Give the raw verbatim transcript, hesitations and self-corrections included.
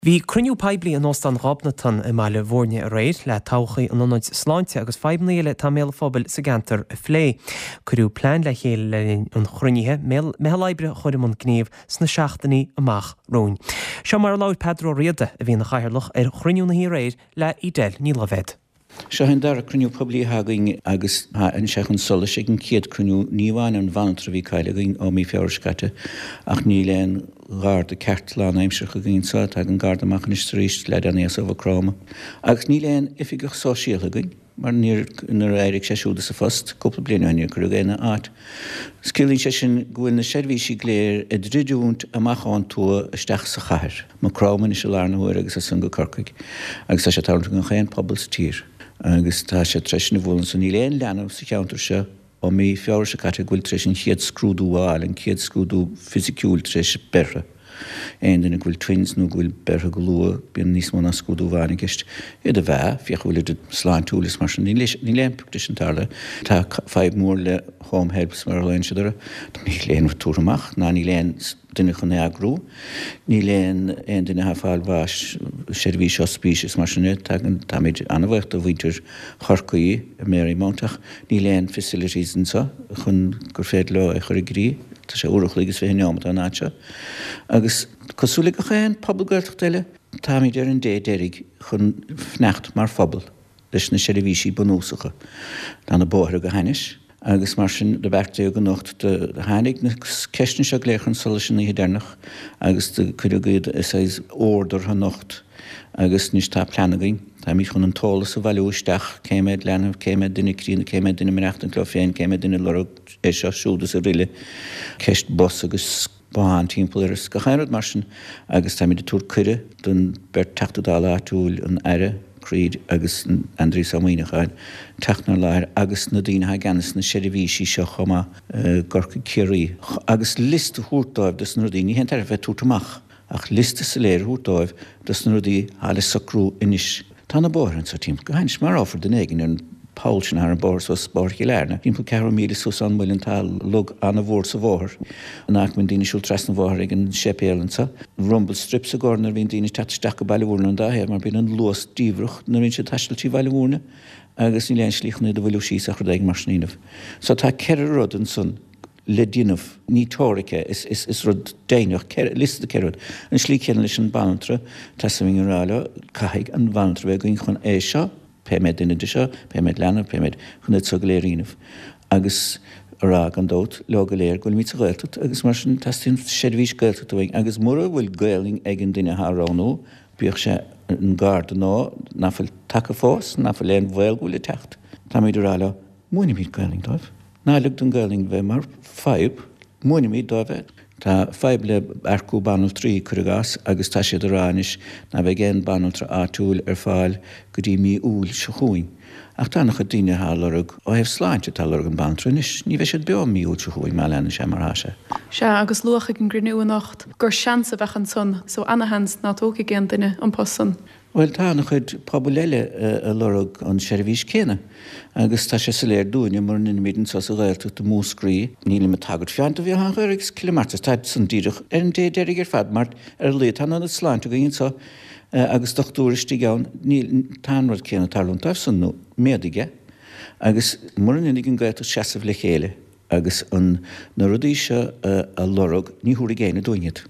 Bhí cruinniú poiblí in Óstán Ghobnatan i mBaile Bhúirne aréir le todhchaí an ionaid sláinte agus fadhbanna eile atá i mbéal an phobail sa gceantar a phlé. Cuireadh plean le chéile le linn an chruinnithe meitheal oibre a chur i mbun gnímh sna seachtainí amach romhainn. Seo mar a labhair Peadar Ó Riada a bhí ina chathaoirleach ar chruinniú na hoíche aréir le Edel Ní Loibhéad. Seo an dara cruinniú poiblí againn agus tháinig sé chun solais ag an chéad cruinniú ní amháin an bhanaltra a bhí caillte againn ó mí Feabhra seo caite ach níl aon gharda ceart lánaimseartha againn anseo tagann garda amach anois arís le déanaí as Mhaigh Chromtha. Agus níl aon oifigeach sóisialta againn mar níor nuair a d'éirigh sé siúd as a phost cúpla bliain ó shin níor cuireadh é ina áit. Ciallaíonn sé sin go bhfuil na seirbhísí go léir ag druidiúint amach ón tuath isteach sa chathair. Maigh Chromtha anois i lár na huaire agus as san go Corcaigh. Agus tá sé tarlúint gach aon pobal sa tír. agus tá sé tar éis na bhfuil san níl aon leanbh sa cheantar seo ó mí Feabhra seo caite go bhfuil tar éis an chéad scrúdú a fháil an chéad scrúdú fisiciúil tar éis breithe. Aon duine go bhfuil twins nó go bhfuil beirthe go luath bíonn níos mó ná scrúdú amháin i gceist. Iad a mheá féach bhfuil iad sláintiúil is mar sin níl aon sin tarla. Tá fadhb mór le home helps mar a léonn siad orthu. Níl aon túr amach ná níl aon duine chun eagrú. Níl aon aon duine atá ag fáil bháis seirbhís ospís is mar sin tagann táimid an-bhuíoch do mhuintir Chorcaí i Marymount ach níl aon facilities anseo chun gur féidir leo é chur i gcrích. Tá sé uair an chloig is fiche neomat ón áit seo. Agus cosúil le gach aon pobal Gaeltachta eile, táimid ar an dé deiridh chun fanacht mar phobal leis na seirbhísí bunúsacha. Tá na bóithre go hainnis, agus mar sin do beartaíodh anocht do tháinig na ceisteanna seo go léir chun solais an oíche deireanach agus do cuireadh iad saghas ord orthu anocht agus anois tá plean againn. Táimid chun an t-eolas a bhailiú isteach cé mhéad leanbh, cé mhéad duine críonna, cé mhéad duine maireachtaint leo féin, cé mhéad duine lorg é seo siúd is araile, ceist bus agus bothán timpeall air is gach aon rud mar sin agus táimid ag tabhairt cuireadh don bheirt Teachta Dála áitiúil an Aire Creed agus Aindrias Ó Muimhneacháin teacht 'nár láthair agus na daoine atá i gceannas na seirbhísí seo chomh maith gCorcaigh Ciarraí agus liosta a thabhairt dóibh dos na rudaí ní haon tairbhe bheith tabhairt amach ach liosta soiléir a thabhairt dóibh dos na rudaí atá le socrú anois. Tá na bóithre anseo timpeall go hainnis marófar duine éigin ar an poll sin thar an bóthar suas Bóthar Chill Airne. Timpeall ceathrú míle suas ón Muileann tá log an-mhór sa bhóthar. An áit a mbíonn daoine ag siúl trasna an bhóthair ag an séipéal anseo. Rumble strips i gcomhair nuair a bhíonn daoine ag teacht isteach go Baile Bhúirne an dá thaobh mar bíonn an luas diamhrach nuair a bhíonn siad ag taisteal trí Bhaile Bhúirne agus níl aon slí chun iad a mhoilliú síos ach rud éigin mar sin a dhéanamh. So tá ceithre rud ansan le déanamh ní teoiric é is, is, is rud deimhneach liosta de ceithre rud. An slí chéanna leis an banaltra teastaíonn a rá leo caithfidh an bhanaltra bheith againn chun é seo pé méid duine de seo, pé méid leanbh, pé méid chun iad seo go léir a dhéanamh. Agus a rá gan dabht leo go léir go bhfuilimid sa Ghaeltacht agus mar sin teastaíonn seirbhís Gaeltachta uainn agus mura bhfuil Gaelainn ag an duine atá á roghnú, bíodh sé an garda nó nach bhfuil tagtha fós, nach bhfuil aon bhaol go bhfuil ag teacht. Táimid ag rá leo, múinimid Gaelainn dóibh. Ná lig don Ghaelainn bheith mar fadhb, múinimid dóibh é. Tá fadhb le earcú banaltraí, cuir i gcás, agus tá siad ag rá anois ná beidh aon banaltra áitiúil ar fáil go dtí mí Iúil seo chugainn. Ach tá an-chuid daoine atá ag lorg ó thaobh sláinte atá ag lorg an banaltra anois, ní bheidh siad beo mí Iúil seo chugainn má leanann sé mar atá sé. Sea, agus luadh ag an gcruinniú anocht gur seans a bheadh ansan, so ana-sheans ná tógfaidh aon duine an post san. Bhuel, tá an-chuid pobail eile ag lorg an seirbhís céanna agus tá sé soiléir dúinne mura ndeinimid anseo sa Ghaeltacht i Múscraí, nílim ag tagairt fiú do Bhéal Átha an Ghaorthaidh agus Cill Martra, táid san díreach ar an dé deiridh ar fad mar ar a laghad tá an ionad sláinte againn anseo agus dochtúir istigh ann, níl, tá an rud céanna ag tarlúint dóibh san nó méadaigh é agus mura ndéanfaidh an Ghaeltacht seasamh le chéile agus an na rudaí seo a lorg, ní thabharfaidh éinne dúinn iad.